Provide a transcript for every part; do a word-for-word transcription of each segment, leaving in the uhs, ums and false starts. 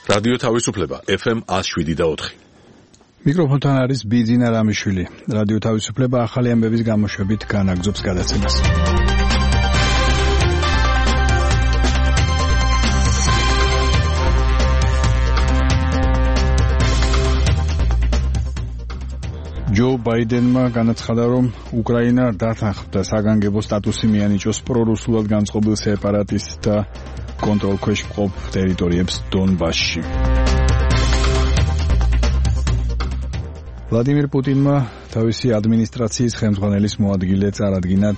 რადიო თავისუფლება ეფ ემ one oh seven point four. მიკროფონთან არის ბიძინა რამიშვილი. რადიო თავისუფლება ახალი ამბების გამოშვებით განაგრძობს გადაცემას. ჯო ბაიდენმა განაცხადა, რომ უკრაინა დათანხმდა საგანგებო სტატუსი მიანიჭოს პრორუსულად განწყობილ სეპარატისტთა კონტროლქვეშ მყოფ ტერიტორიებს დონბასში. ვლადიმირ პუტინმა თავისი ადმინისტრაციის ხელმძღვანელის მოადგილე წარადგინა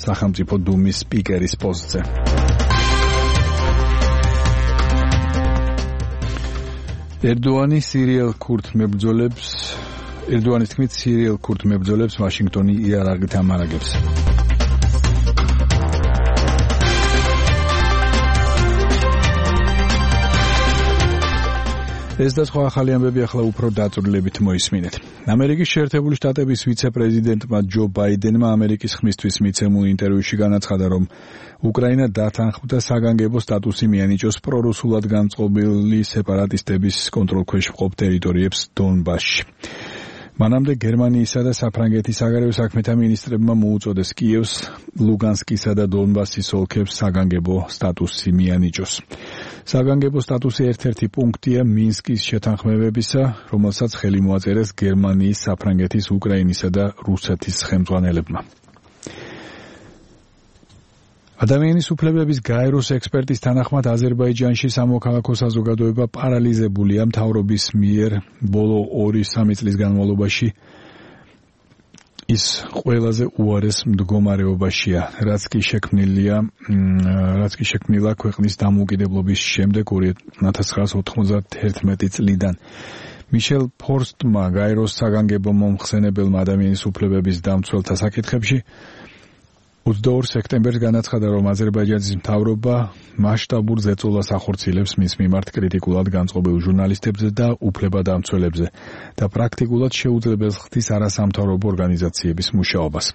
სახელმწიფო დუმის სპიკერის პოსტზე. ერდოანი სირიელ ქურთ მებრძოლებს ერდოანის თქმით სირიელ ქურთ მებრძოლებს ვაშინგტონი იარაღით ამარაგებს. ეს და სხვა ახალი ამბები ახლა უფრო დაწვრილებით მოისმინეთ. ამერიკის შეერთებული შტატების ვიცე-პრეზიდენტმა ჯო ბაიდენმა ამერიკის ხმისთვის მიცემულ ინტერვიუში განაცხადა, რომ უკრაინა დათანხმდა საგანგებო სტატუსი მიანიჭოს პრორუსულად განწყობილი სეპარატისტების კონტროლქვეშ მყოფ ტერიტორიებს დონბასში. მანამდე გერმანიისა და საფრანგეთის საგარეო საქმეთა მინისტრებმა მოუწოდეს კიევს ლუგანსკისა და დონბასის ოლქებს საგანგებო სტატუსი მიანიჭოს. საგანგებო სტატუსი ერთ-ერთი პუნქტია მინსკის შეთანხმებებისა, რომელსაც ხელი მოაწერეს გერმანიის, საფრანგეთის, უკრაინისა და რუსეთის ხელმძღვანელებმა. ადამიანის უფლებების გაეროს ექსპერტის თანახმად აზერბაიჯანში სამოქალაქო საზოგადოება პარალიზებულია მთავრობის მიერ ბოლო ორი სამი წლის განმავლობაში. ის ყველაზე უარეს მდგომარეობაშია, რაც კი შექმნილია, რაც კი შექმნილა ქვეყნის დამოუკიდებლობის შემდეგ ორი ათას ოთხმოცდაერთი წლიდან. მიშელ ფორსტმა გაეროს საგანგებო მომხსენებელმა ადამიანის უფლებების დამცველთა საკითხებში ოცდაორ სექტემბერს განაცხადა, რომ აზერბაიჯანის მთავრობა მასშტაბურ ზეწოლას ახორციელებს მის მიმართ კრიტიკულად განწყობილ ჟურნალისტებზე და უფლებადამცველებზე და პრაქტიკულად შეუძლებელს ხდის არასამთავრობო ორგანიზაციების მუშაობას.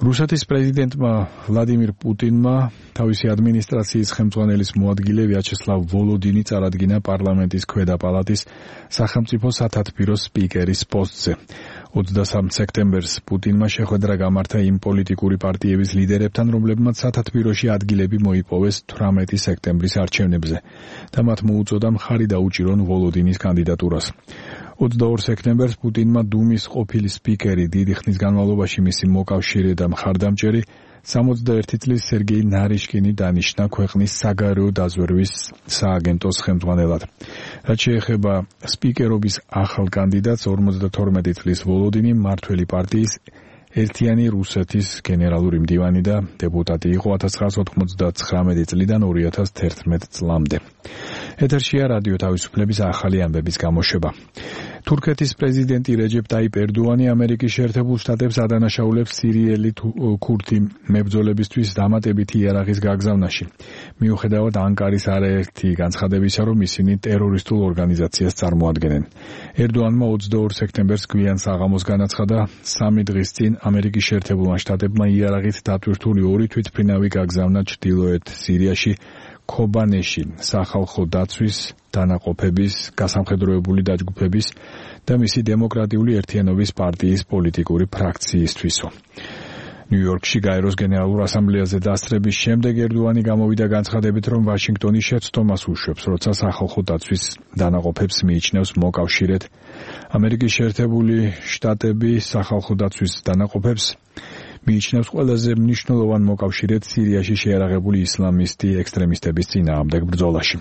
რუსეთის პრეზიდენტმა ვლადიმირ პუტინმა თავისი ადმინისტრაციის ხელმძღვანელის მოადგილე ვიაჩესლავ ვოლოდინი წარადგინა პარლამენტის ქვედა პალატის სახელმწიფო სათათბიროს სპიკერის პოსტზე. ოცდასამ სექტემბერს პუტინმა შეხვედრა გამართა იმ პოლიტიკური პარტიების ლიდერებთან, რომლებმაც სათათბიროში ადგილები მოიპოვეს თვრამეტი სექტემბრის არჩევნებზე და მათ მოუწოდა მხარი დაუჭირონ ვოლოდინის კანდიდატურას. ოცდაორ სექტემბერს პუტინმა დუმის ყოფილი სპიკერი, დიდი ხნის განმავლობაში მისი მოკავშირე და მხარდამჭერი სამოცდაერთი წლის სერგეი ნარიშკინი დანიშნა ქვეყნის საგარეო დაზვერვის სააგენტოს ხელმძღვანელად. რაც შეეხება სპიკერობის ახალ კანდიდატს, ორმოცდათორმეტი წლის ვოლოდინი მმართველი პარტიის ერთიანი რუსეთის გენერალური მდივანი და დეპუტატი იყო ათას ცხრაასა ოთხმოცდათხრამეტი წლიდან ორი ათას თერთმეტ წლამდე. ეთერშია რადიო თავისუფლების ახალი ამბების გამოშვება. თურქეთის პრეზიდენტი რეჯეპ ტაიპ ერდოანი ამერიკის შეერთებულ შტატებს ადანაშაულებს სირიელი ქურთი მებრძოლებისთვის დამატებითი იარაღის გაგზავნაში. მიუხედავად ანკარის არაერთი განცხადებისა, რომ ისინი ტერორისტულ ორგანიზაციას წარმოადგენენ. ერდოანმა ოცდაორ სექტემბერს გვიან საღამოს განაცხადა, სამი დღის წინ ამერიკის შეერთებულმა შტატებმა იარაღით დატვირთული ორი თვითმფრინავი გაგზავნა ჩრდილოეთ სირიაში ქობანეში სახალხო დაცვის დანაყოფების გასამხედროებული დაჯგუფების და მისი დემოკრატიული ერთიანობის პარტიის პოლიტიკური ფრაქციისთვისო. ნიუ-იორკში გაეროს გენერალურ ასამბლეაზე დასწრების შემდეგ ერდოანი გამოვიდა განცხადებით, რომ ვაშინგტონი შეცდომას უშვებს, როცა სახალხო დაცვის დანაყოფებს მიიჩნევს მოკავშირედ. ამერიკის შეერთებული შტატები სახალხო დაცვის დანაყოფებს მიიჩნევს ყველაზე მნიშვნელოვან მოკავშირედ სირიაში შეიარაღებული ისლამისტი ექსტრემისტების წინააღმდეგ ბრძოლაში.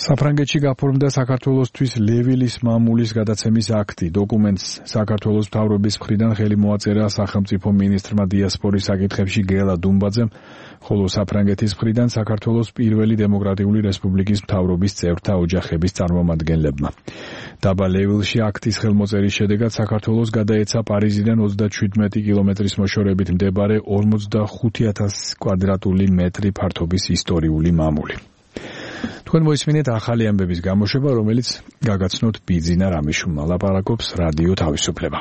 საფრანგეთში გაფორმდა საქართველოსთვის ლევილის მამულის გადაცემის აქტი. დოკუმენტს საქართველოს მთავრობის მხრიდან ხელი მოაწერა სახელმწიფო მინისტრმა დიასპორის საკითხებში გელა დუმბაძემ, ხოლო საფრანგეთის მხრიდან საქართველოს პირველი დემოკრატიული რესპუბლიკის მთავრობის წევრთა ოჯახების წარმომადგენლებმა. დაბა ლევილში აქტის ხელმოწერის შედეგად საქართველოს გადაეცა პარიზიდან ოცდაშვიდმეტი კილომეტრის მოშორებით მდებარე ორმოცდახუთი ათასი კვადრატული მეტრი ფართობის ისტორიული მამული. თქვენ მოისმინეთ ახალი ამბების გამოშვება, რომელიც გაგაცნოთ ბიძინა რამიშვილმა. ლაპარაკობს რადიო თავისუფლება.